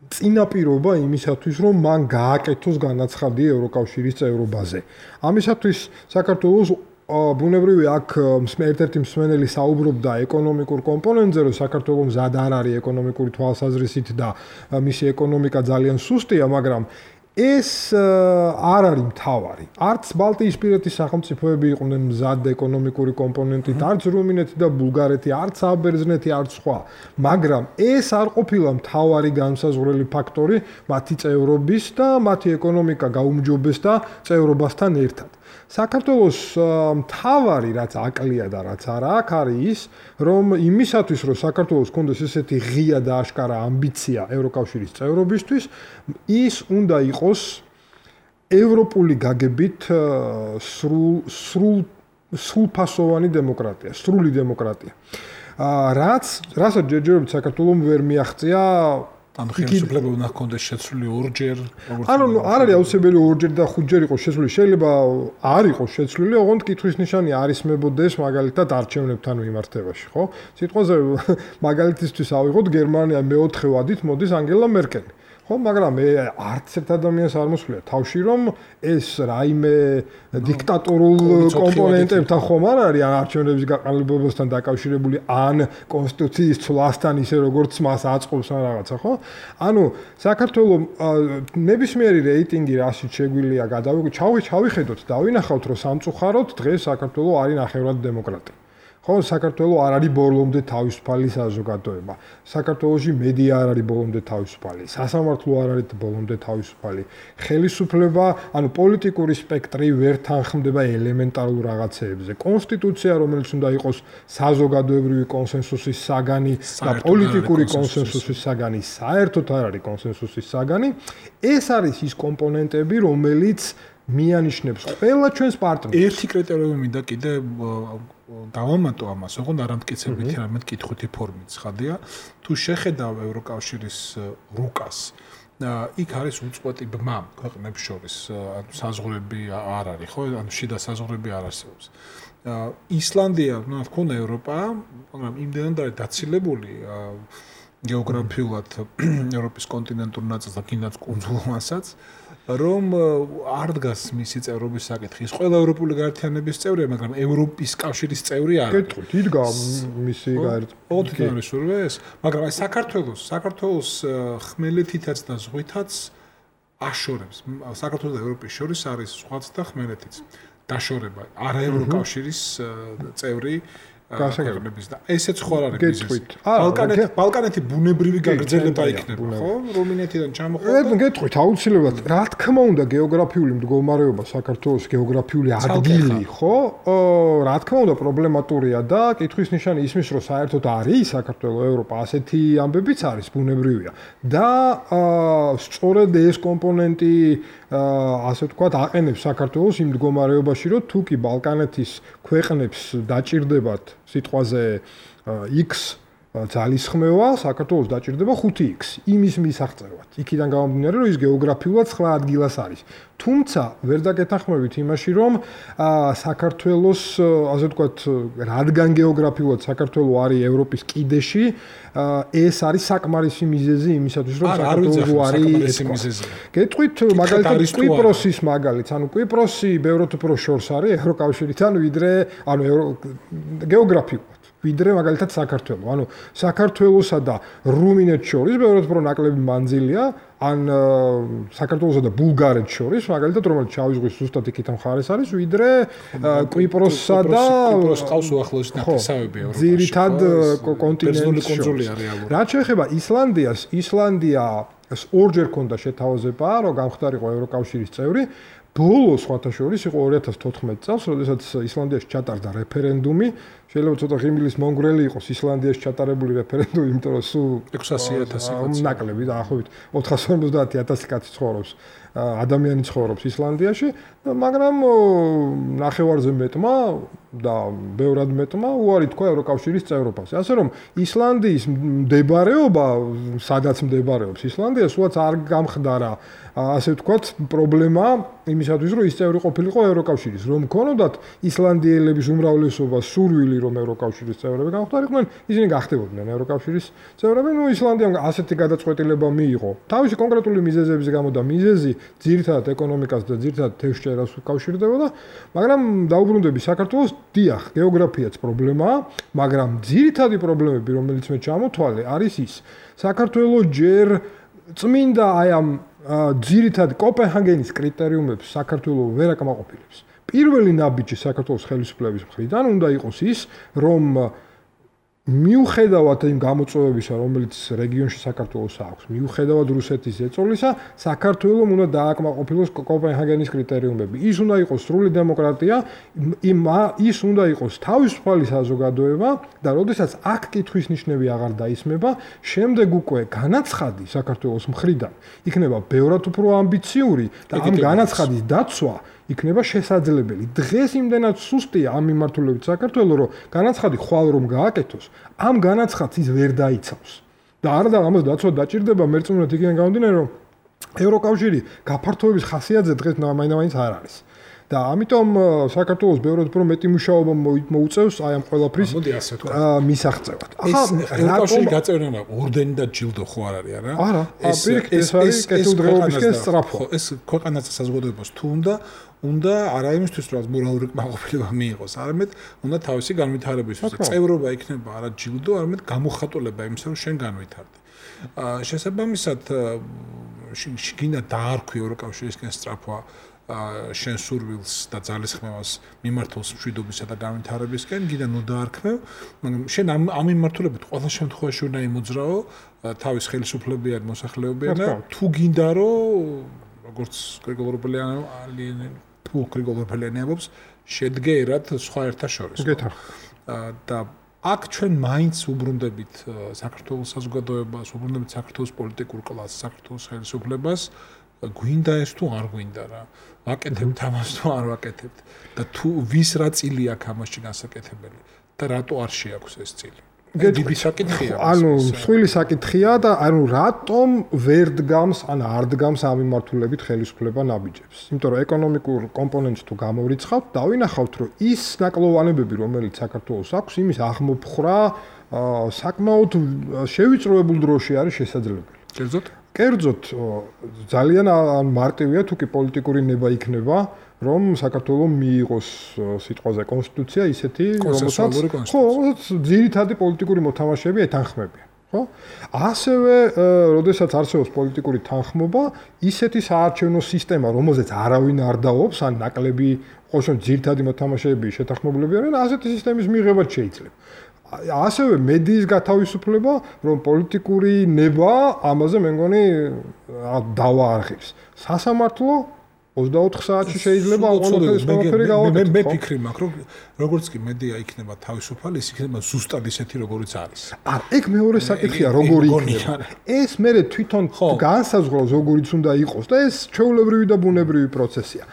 წინაპირობა იმისათვის, რომ მან გააკეთოს განაცხადი ევროკავშირის წევრობაზე. ამისათვის საქართველოს ბუნებრივია აქ ერთ-ერთი მსმენელი საუბრობდა ეკონომიკურ კომპონენტზე, რომ საქართველოს მზად არ არის ეკონომიკური თვალსაზრისით და მისი ეკონომიკა ძალიან სუსტია, მაგრამ ეს არ არის მთავარი. არც ბალტიისპირეთის სახელმწიფოები იყვნენ მზად ეკონომიკური კომპონენტით, არც რუმინეთი და ბულგარეთი, არც საბერძნეთი, არც სხვა. მაგრამ ეს არ ყოფილა მთავარი განმსაზღვრელი ფაქტორი მათი წევრობის და მათი ეკონომიკა გაუმჯობეს და წევრობასთან ერთად. საქართველოს მთავარი რაც აკლია და რაც არა აქვს არის ის, რომ იმისათვის, რომ საქართველოს კონდეს ესეთი ღია და აშკარა ამბიცია ევროკავშირის წევრობისთვის, ის უნდა იყოს ევროპული გაგებით სრულფასოვანი დემოკრატია, სრული დემოკრატია. რასაც ჯერჯერობით საქართველოს ვერ მიაღწია ანუ ხელისუფლება უნდა ჰქონდეს შეცვლილი ორჯერ, ანუ არ არის აუცილებელი ორჯერ და ხუთჯერ იყოს შეცვლილი, შეიძლება არ იყოს შეცვლილი, ოღონდ კითხვის ნიშანი არის მებოდეს მაგალითად არჩევნებთან მიმართებაში, ხო? სიტყვაზე მაგალითისთვის ავიღოთ გერმანია მეოთხე ვადით მოდის ანგელა მერკელი. ხო, მაგრამ არც ერთ ადამიანს არ მოსვლია თავში, რომ ეს რაიმე დიქტატორულ კომპონენტებთან ხომ არ არის ან არჩევნების გაყალიბებასთან დაკავშირებული, ან კონსტიტუციის ცვლასთან ისე როგორც მას აწყობს ან რაღაცა, ხო? ანუ საქართველოს ნებისმიერი რეიტინგი რასით შეგვიძლია ჩავიხედოთ და ვინახავთ, რომ სამწუხაროდ დღეს საქართველოს არის ნახევრად დემოკრატია. ხო, საქართველოს არ არის ბოლომდე თავისუფალი საზოგადოება. საქართველოში მედია არ არის ბოლომდე თავისუფალი. სასამართლო არ არის ბოლომდე თავისუფალი. ხელისუფლება, ანუ პოლიტიკური სპექტრი ვერ თანხმდება ელემენტარულ რაღაცეებზე. კონსტიტუცია, რომელიც უნდა იყოს საზოგადოებრივი კონსენსუსის საგანი და პოლიტიკური კონსენსუსის საგანი, საერთოდ არ არის კონსენსუსის საგანი. ეს არის ის კომპონენტები, რომელიც მიანიშნებს ყველა ჩვენს პარტნიორს. ერთი კრიტერიუმი მინდა კიდე დავამატო ამას, ოღონდ არამტკიცებითი რამე კითხვითი ფორმით ხადია. თუ შეხედავ ევროკავშირის რუკას, იქ არის უწყვეტი ბმა ქვეყნებს შორის, ანუ საზღვრები არ არის, ხო? ანუ შიდა საზღვრები არ არსებობს. ისლანდია, ну, თქონა ევროპა, მაგრამ იმდენად არის დაცილებული გეოგრაფიულად ევროპის კონტინენტურ ნაწილს და კიდაც კუნძულმასაც, რომ არ დგას მისი წევრობის საკითხი. ის ყველა ევროპული გაერთიანების წევრია, მაგრამ ევროპის კავშირის წევრი არ არის. კეთილ, იდგა მისი გაერთიანების, მაგრამ აი საქართველოს ხმელეთითაც და ზღვითაც აშორებს. საქართველოს და ევროპის შორის არის ზღვაც და ხმელეთიც. დაშორება არა ევროკავშირის წევრი გასაგებების და ესეც ხო არ არის მიზეზი. ბალკანეთი ბუნებრივი გაგრძელება იქნება, ხო? რუმინეთიდან ჩამოყალიბდა. გეტყვით აუცილებლად, რა თქმა უნდა, გეოგრაფიული მდგომარეობა საქართველოს გეოგრაფიული ადგილი, ხო? რა თქმა უნდა, პრობლემატურია და კითხვის ნიშანი ისმის, რომ საერთოდ არის საქართველოს ევროპა, ასეთი ამბებიც არის ბუნებრივია. და სწორედ ეს კომპონენტი ასე ვთქვათ, აყენებს საქართველოს იმ მდგომარეობაში, რომ თუ კი ბალკანეთის ქვეყნებს დაჭირდებათ სიტყვაზე X ძალისხმევა, საქართველოს დაჭირდება 5X იმის მისაღწევად. იქიდან გამომდინარე, რომ ის გეოგრაფიულად სხვა ადგილას არის. თუმცა ვერ დაგეთანხმებით იმაში, რომ საქართველოს, ასე ვთქვათ, რადგან გეოგრაფიულად საქართველოს არის ევროპის კიდეში, ეს არის საკმარისი მიზეზი იმისათვის, რომ საქართველოს არის მიზეზი. გეტყვით, მაგალითად, კვიპროსის მაგალითს, ანუ კვიპროსი ბევრად უფრო შორს არის ევროკავშირთან, ვიდრე, ანუ გეოგრაფიულად. ვიდრე მაგალითად საქართველო. ანუ საქართველოსა და რუმინეთს შორის ბევრად უფრო ნაკლები მანძილია, ან საქართველოსა და ბულგარეთს შორის, მაგალითად რომელიც შავი ზღვის ზუსტად იქით მხარეს არის, ვიდრე კვიპროსსა და კვიპროს ყავს უახლოესი ნათესავები ევროპაში. ძირითად კონტინენტის კონძულია რეალურად. რაც შეეხება ისლანდიას, ისლანდია ორჯერ ქონდა შეთავაზება, რომ გამხდარიყო ევროკავშირის წევრი. ბოლო სხვათა შორის იყო 2014 წელს, როდესაც ისლანდიაში ჩატარდა რეფერენდუმი. შეიძლება ცოტა ღიმილის მონგრელი იყოს ისლანდიაში ჩატარებული რეფერენდუმი, იმიტომ რომ სულ 600,000 ნაკლები დაახლოებით 450,000 კაცი ცხოვრობს, ადამიანი ცხოვრობს ისლანდიაში, მაგრამ ნახევარზე მეტმა და ბევრად მეტმა უარი თქვა ევროკავშირის წევრობას. ასე რომ ისლანდიის მდებარეობა, სადაც მდებარეობს ისლანდია, სულაც არ გამხდარა ასე ვთქვათ, პრობლემა იმისათვის, რომ ის წევრი ყოფილიყო ევროკავშირის, რომ ქონოდათ ისლანდიელების უმრავლესობა სურვილი, რომ ევროკავშირის წევრები გამხდარიყვნენ, ისინი გახდებოდნენ ევროკავშირის წევრები. ნუ ისლანდიამ ასეთი გადაწყვეტილება მიიღო. თავისი კონკრეტული მიზეზების გამო და მიზეზი ძირითადად ეკონომიკას და ძირითადად თევზჭერას უკავშირდებოდა, მაგრამ დაუბრუნდები საქართველოს, დიახ, გეოგრაფიაც პრობლემაა, მაგრამ ძირითადი პრობლემები, რომელიც მე ჩამოთვალე, არის ის. საქართველოს ჯერ წმინდა აი ამ ძირითად კოპენჰაგენის კრიტერიუმებს საქართველოს ვერ აკმაყოფილებს. პირველი ნაბიჯი საქართველოს ხელისუფლების მხრიდან უნდა იყოს ის, რომ მიუხედავად იმ გამოწვევებისა, რომელიც რეგიონში საქართველოს აქვს, მიუხედავად რუსეთის ეწოლისა, საქართველოს უნდა დააკმაყოფილოს კოპენჰაგენის კრიტერიუმები. ის უნდა იყოს სრული დემოკრატია, ის უნდა იყოს თავისუფალი საზოგადოება და როდესაც აქ კითხვის ნიშნები აღარ დაისმება, შემდეგ უკვე განაცხადი საქართველოს მხრიდან იქნება ბევრად უფრო ამბიციური და ამ განაცხადის დაცვა იქნება შესაძლებელი. დღეს იმდენად სუსტია ამ მიმართულებით საქართველოს, რომ განაცხადი ხვალ რომ გააკეთოს, ამ განაცხადს ის ვერ დაიცავს. და არა და ამას დაცვა დაჭირდება მერწმუნედ იქიდან გამომდინარე, რომ ევროკავშირი გაფართოების ხასიათზე დღეს მაინც არ არის. და ამიტომ საქართველოს ბევრად უფრო მეტი მუშაობა მოუწევს აი ამ ყველაფრის მისაღწევად. ახლა ევროკავშირი გაწევრიანება ორდენი და ჯილდო ხო არ არის არა? არა, პირიქით ეს არის კეთილდღეობისკენ სწრაფო. ეს ქვეყანას საზოგადოებას თუ უნდა არა იმისთვის, რომ მორალური კმაყოფილება მიიღოს, არამედ უნდა თავისი განვითარებისთვის. წევრობა იქნება არა ჯილდო, არამედ გამოხატულება იმისა, რომ შენ განვითარდი. შესაბამისად, შეგინდა დაარქვი ევროკავშირისკენ სწრაფვა შენ სურვილს და ძალისხმევას მიმართულს მშვიდობისა და განვითარებისკენ, გინდა ნუ დაარქმევ, მაგრამ შენ ამ მიმართულებით ყველა შემთხვევაში უნდა იმოძრაო თავის ხელისუფლებიან მოსახლეობიან და თუ გინდა რომ როგორც გრიგოლ ორბელიანი ამბობს, შედგერად სხვა ერთა შორის. და აქ ჩვენ მაინც უბრუნდებით საქართველოს საზოგადოებას, უბრუნდებით საქართველოს პოლიტიკურ კლასს, საქართველოს ხელისუფლებას, გვინდა ეს თუ არ გვინდა რა. ვაკეთებთ ამას თუ არ ვაკეთებთ და თუ ვის რა წილი აქვს ამაში განსაკეთებელი და რატო არ შეაქვს ეს წილი. დიდი საკითხია. ანუ მსხვილი საკითხია და ანუ რატომ ვერ დგამს ან არ დგამს ამ მიმართულებით ხელისუფლება ნაბიჯებს. იმიტომ რომ ეკონომიკურ კომპონენტს თუ გამოვიწყავთ, დავინახავთ რომ ის ნაკლოვანებები, რომელიც საქართველოს აქვს, იმის აღმოფხრა საკმაოდ შევიწროებულ დროში არის შესაძლებელი. კერძოდ ძალიან მარტივია თუ კი პოლიტიკური ნება იქნება, რომ საქართველოს მიიღოს სიტყვაზე კონსტიტუცია ისეთი, რომელსაც ძირითადი პოლიტიკური მოთამაშეები ეთანხმებიან, ხო? ასევე, როდესაც არსებობს პოლიტიკური თანხმობა, ისეთი საარჩევნო სისტემა, რომელზეც არავინ არ დაობს, ან ნაკლები ყოველშემთხვევაში ძირითადი მოთამაშეები შეთანხმებულები არიან, ასეთი სისტემის მიღება შეიძლება. ასევე მედიის გათავისუფლება, რომ პოლიტიკური ნება ამაზე მე მგონი დავაარხებს. სასამართლო 24 საათში შეიძლება ყველაფერი გავაკეთოს. მე ფიქრი მაქვს, რომ როგორც კი მედია იქნება თავისუფალი, ის იქნება ზუსტად ისეთი, როგორიც არის. არა, ეგ მეორე საკითხია, როგორი იქნება. ეს მე თვითონ განსაზღვრავს, როგორიც უნდა იყოს და ეს ჩვეულებრივი და ბუნებრივი პროცესია.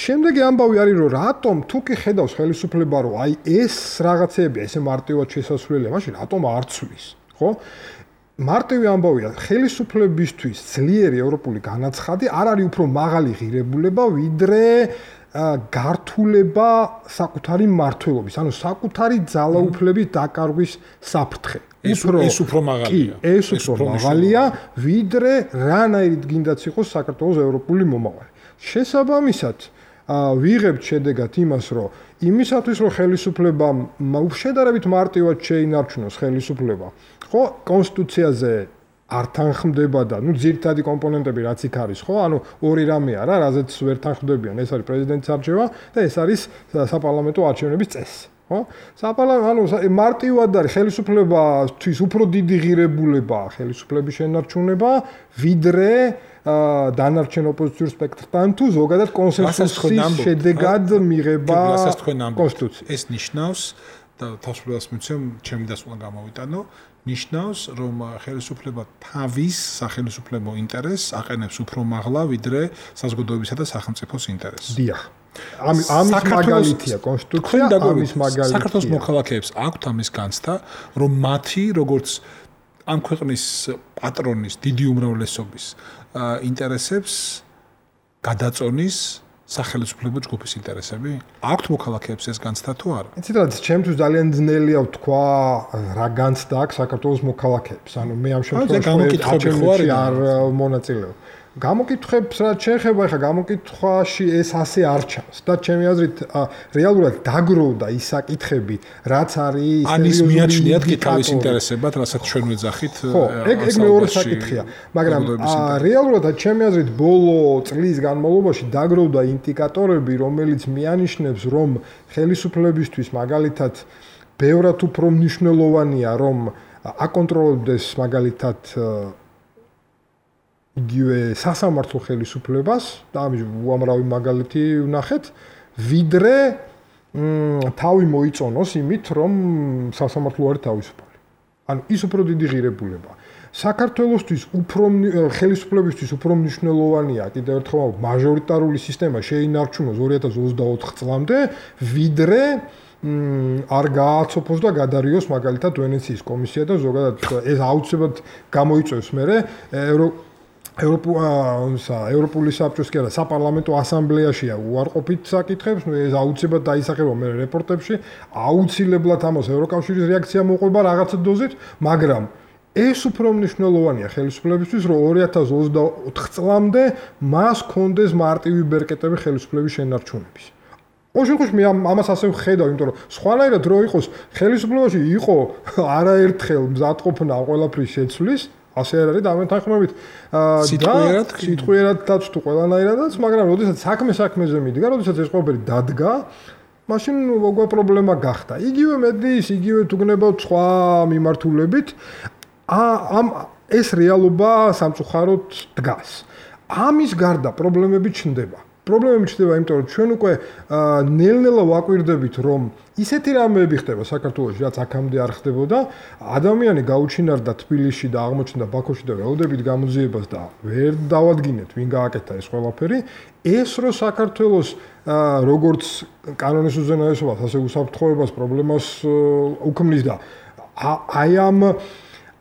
შემდეგი ამბავი არის, რომ რატომ თუ კი ხედავს ხელისუფლება, რომ აი ეს რაღაცეები, ესე მარტივად შესასვლელია, მაშინ რატომ არ ცვლის, ხო? მარტივი ამბავია, ხელისუფლებისთვის ძლიერი ევროპული განაცხადი არ არის უფრო მაღალი ღირებულება, ვიდრე გართულება საკუთარი მმართველობის, ანუ საკუთარი ძალაუფლების დაკარგვის საფრთხე. ეს უფრო მაღალია. ეს უფრო მაღალია, ვიდრე რანაირად გინდაც იყოს საქართველოს ევროპული მომავალი. შესაბამისად, ვიღებთ შედეგად იმას, რომ იმისათვის, რომ ხელისუფლებამ შედარებით მარტივად შეინარჩუნოს ხელისუფლება, ხო, კონსტიტუციაზე არ თანხმდება და ძირითადი კომპონენტები რაც იქ არის, ხო? ორი რამეა რა, რაზეც ვერ თანხმდებიან, ეს არის პრეზიდენტის არჩევა და ეს არის საპარლამენტო არჩევნების წესი, ხო? მარტივად არის ხელისუფლებისთვის უფრო დიდი ღირებულება ხელისუფლების შენარჩუნება, ვიდრე დანარჩენ ოპოზიციურ სპექტრთან თუ ზოგადად კონსენსუსის შედეგად მიღება კონსტიტუცია. ეს ნიშნავს და თავისუფლებას მიცემ, ჩემი დასკვნა გამოვიტანო, ნიშნავს, რომ ხელისუფლება თავის სახელმწიფო ინტერესს აყენებს უფრო მაღლა, ვიდრე საზოგადოებისა და სახელმწიფოს ინტერესს. დიახ. ამის მაგალითია კონსტიტუცია, ამის მაგალითია. საქართველოს მოქალაქეებს აქვთ ამის განცდა, რომ მათი როგორც ამ ქვეყნის პატრონის დიდი უმრავლესობის ინტერესებს გადაწონის სახელმწიფო ჯგუფის ინტერესები? აქვთ მოქალაქეებს ეს განცდა თუ არა? იცით რა, ჩემთვის ძალიან ძნელია ვთქვა რა განცდა აქვს საქართველოს მოქალაქეებს. მე ამ შემთხვევაში არ მონაწილეობ. გამოკითხვებს რაც შეეხება, ეხლა გამოკითხვაში ეს ასე არ ჩანს და ჩემი აზრით რეალურად დაგროვდა ის საკითხები, რაც არის ანის მიაჩნიათ კი თავის ინტერესებად, რასაც ჩვენ ვეძახით. ხო, ეგ მეორე საკითხია, მაგრამ რეალურად ჩემი აზრით ბოლო წლის განმავლობაში დაგროვდა ინდიკატორები, რომელიც მიანიშნებს, რომ ხელისუფლებისთვის მაგალითად ბევრად უფრო მნიშვნელოვანია, რომ აკონტროლებდეს მაგალითად იგივე სასამართლო ხელისუფლებას და ამის უამრავი მაგალითი ვნახეთ, ვიდრე თავი მოიწონოს იმით, რომ სასამართლო არის თავისუფალი. ანუ ის უფრო დიდი ღირებულება. საქართველოსთვის ხელისუფლებისთვის უფრო მნიშვნელოვანია კიდევ ერთხელ მაჟორიტარული სისტემა შეინარჩუნოს 2024 წლამდე, ვიდრე არ გააცოფოს და გადარიოს მაგალითად ვენეციის კომისია და ზოგადად ეს აუცილებლად გამოიწვევს მერე ევროპული საბჭოს კი არა, საპარლამენტო ასამბლეაშია უარყოფით საკითხებს, ეს აუცილებლად დაისახება მე რეპორტებში, აუცილებლად ამას ევროკავშირის რეაქცია მოყვება რაღაცა დოზით, მაგრამ ეს უფრო მნიშვნელოვანია ხელისუფლებისთვის, რომ 2024 წლამდე მას კონდეს მარტივი ბერკეტები ხელისუფლების შენარჩუნების. ოღონდ მე ამას ასე ვხედავ, იმიტომ რომ სხვანაირად რო იყოს ხელისუფლებაში იყო არაერთხელ მზადყოფნა ყველაფრის შეცვლის, ასე არ არის და ამენ თანხმებით სიტყვიერადაც თუ ყველანაირადაც, მაგრამ როდესაც საქმეზე მიდგა, როდესაც ეს ყველაფერი დადგა, მაშინ როგორ პრობლემა გახდა. იგივე მედიის, იგივე თუ გნებავთ სხვა მიმართულებით, ეს რეალობა სამწუხაროდ დგას. ამის გარდა პრობლემები ჩნდება. პრობლემები ჩნდება, იმიტომ რომ ჩვენ უკვე ნელ-ნელა ვაკვირდებით, რომ ისეთი რამეები ხდება საქართველოში, რაც აქამდე არ ხდებოდა, ადამიანი გაუჩინარდა თბილისში და აღმოჩნდა ბაქოში და ველოდებით გამოძიებას და ვერ დავადგინეთ, ვინ გააკეთა ეს ყველაფერი. ეს რომ საქართველოს როგორც კანონის უზენაესობას, ასე უსაფრთხოებას პრობლემას უქმნის და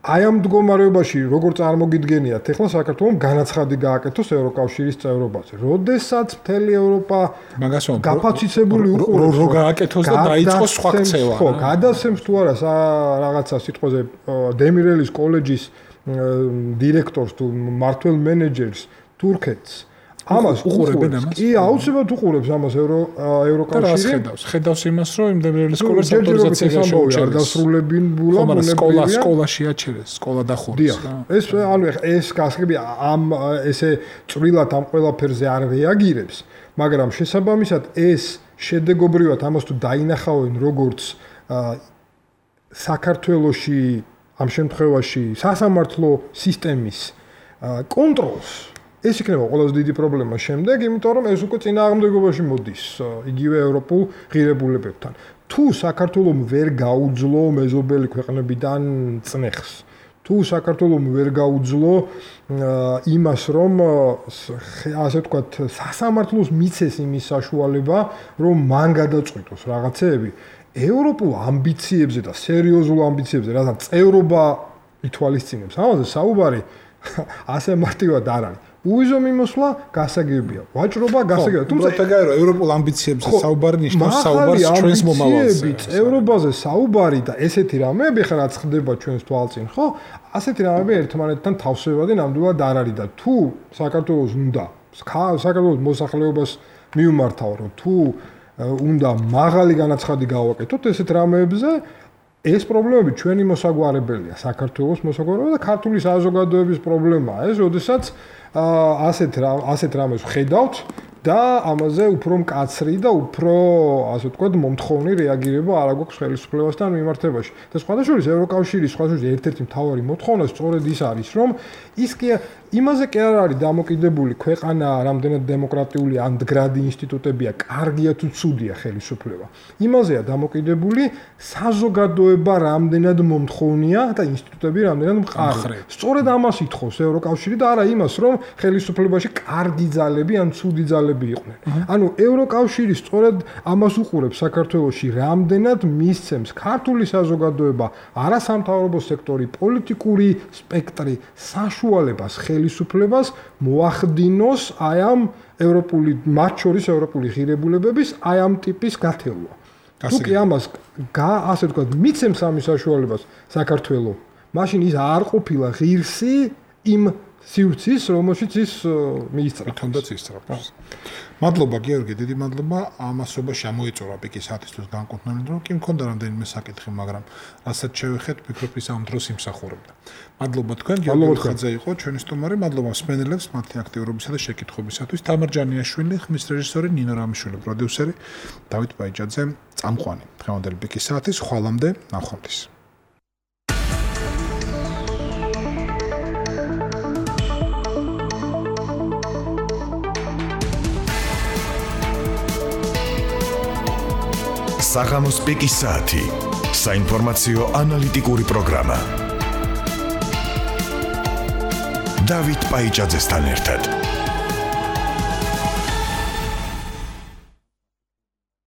აი ამ მდგომარეობაში როგორ წარმოგიდგენიათ, ეხლა საქართველოს განაცხადი გააკეთოს ევროკავშირის წევრობაზე. როდესაც მთელი ევროპა გაფაციცებული უყურებს, რომ გააკეთოს და დაიწყოს სხვა ქცევა. ხო, გადასცემს თუ არა რაღაცა სიტყვაზე დემირელის კოლეჯის დირექტორს თუ მმართველ მენეჯერს თურქეთს. ამას უყურებენ ამას? კი, აუცილებლად უყურებს ამას ევროკავშირი. ხედავს იმას, რომ იმ დემირელის კოლეჯის ავტორიზაცია შეუჩერდეს. არ დასრულებინულა ბუნებრივია. სკოლაში აჩერეს, სკოლა დახურეს. ეს გასაგები ამ ესე წვრილად ამ ყველაფერზე არ რეაგირებს, მაგრამ შესაბამისად ეს შედეგობრივად ამას თუ დაინახავენ როგორც საქართველოში ამ შემთხვევაში სასამართლო სისტემის კონტროლს, ეს იქნება ყველაზე დიდი პრობლემა შემდეგ, იმიტომ რომ ეს უკვე წინააღმდეგობაში მოდის იგივე ევროპულ ღირებულებებთან. თუ საქართველოს ვერ გაუძლო მეზობელი ქვეყნებიდან წნეხს, თუ საქართველოს ვერ გაუძლო იმას, რომ ასე ვთქვათ, სასამართლოს მიცეს იმის საშუალება, რომ მან გადაწყვიტოს რაღაცეები, ევროპულ ამბიციებზე და სერიოზულ ამბიციებზე, რადგან წევრობა ითვალისწინებს, ამაზე საუბარი ასე მარტივად არ არის. უიზო მიმოსვლა გასაგებია. ვაჭრობა გასაგებია. თუმცა ეგაა ევროპულ ამბიციებზე საუბარი ნიშნავს საუბარს ჩვენს მომავალზე. ევროპაზე საუბარი და ესეთი რამეები ხა რაც ხდება ჩვენს თვალწინ, ხო? ასეთი რამეები ერთმანეთთან თავსებადი ნამდვილად არ არის და თუ საქართველოს უნდა საქართველოს მოსახლეობას მიუმართავ, რომ თუ უნდა მაღალი განაცხადი გავაკეთოთ ესეთ რამეებზე, ეს პრობლემები ჩვენი მოსაგვარებელია, საქართველოს მოსაგვარებელია და ქართული საზოგადოების პრობლემაა ეს, როდესაც ასეთ რამეს ხედავთ და ამაზე უფრო მკაცრი და უფრო, ასე ვთქვათ, მომთხოვნი რეაგირება არ აქვს ხელისუფლებასთან მიმართებაში. და სხვადასხვა ევროკავშირის ერთ-ერთი მთავარი მოთხოვნა სწორედ ის არის, რომ ის კი იმაზე კი არ არის დამოკიდებული ქვეყანა, რამდენად დემოკრატიული ან მდგრადი ინსტიტუტებია, კარგია თუ ცუდია ხელისუფლება. იმაზეა დამოკიდებული საზოგადოება რამდენად მომთხოვნია და ინსტიტუტები რამდენად მყარი. სწორედ ამას ითხოვს ევროკავშირი და არა იმას, რომ ხელისუფლებაში კარგი ძალები ან ცუდი ძალები იყვნენ. ანუ ევროკავშირი სწორედ ამას უყურებს საქართველოში, რამდენად მისცემს ქართული საზოგადოება, არასამთავრობო სექტორი, პოლიტიკური სპექტრი საშუალებას ხელისუფლებას მოახდინოს აი ამ ევროპული, მათ შორის ევროპული ღირებულებების აი ამ ტიპის გათელვა. თუ კი ამას ასე ვთქვათ, მიცემს ამის საშუალებას საქართველოს, მაშინ ის არ ყოფილა ღირსი იმ სივრცის, რომელშიც ის მიისწრაფ. თუნდაც ისწრაფავს. მადლობა გიორგი, დიდი მადლობა. ამასობაში ამოიწურა პიკის საათისთვის განკუთვნილი დრო, კი მქონდა რამდენიმე საკითხი, მაგრამ რასაც შევეხეთ, ვფიქრობ ის ამ დროს იმსახურებდა. მადლობა თქვენ, გიორგი ხაძე იყო ჩვენი სტუმარი, მადლობა მსმენელებს მათი აქტიურობისა და შეკითხვებისათვის. თამარ ჯანიაშვილი, ხმის რეჟისორი ნინო რამიშვილი, პროდიუსერი დავით ბაიჯაძე, წამყვანი. დღევანდელი პიკის საათის ხვალამდე ნახვამდის. საღამოს პიკის საათი. საინფორმაციო ანალიტიკური პროგრამა. დავით ბაიჯაძესთან ერთად.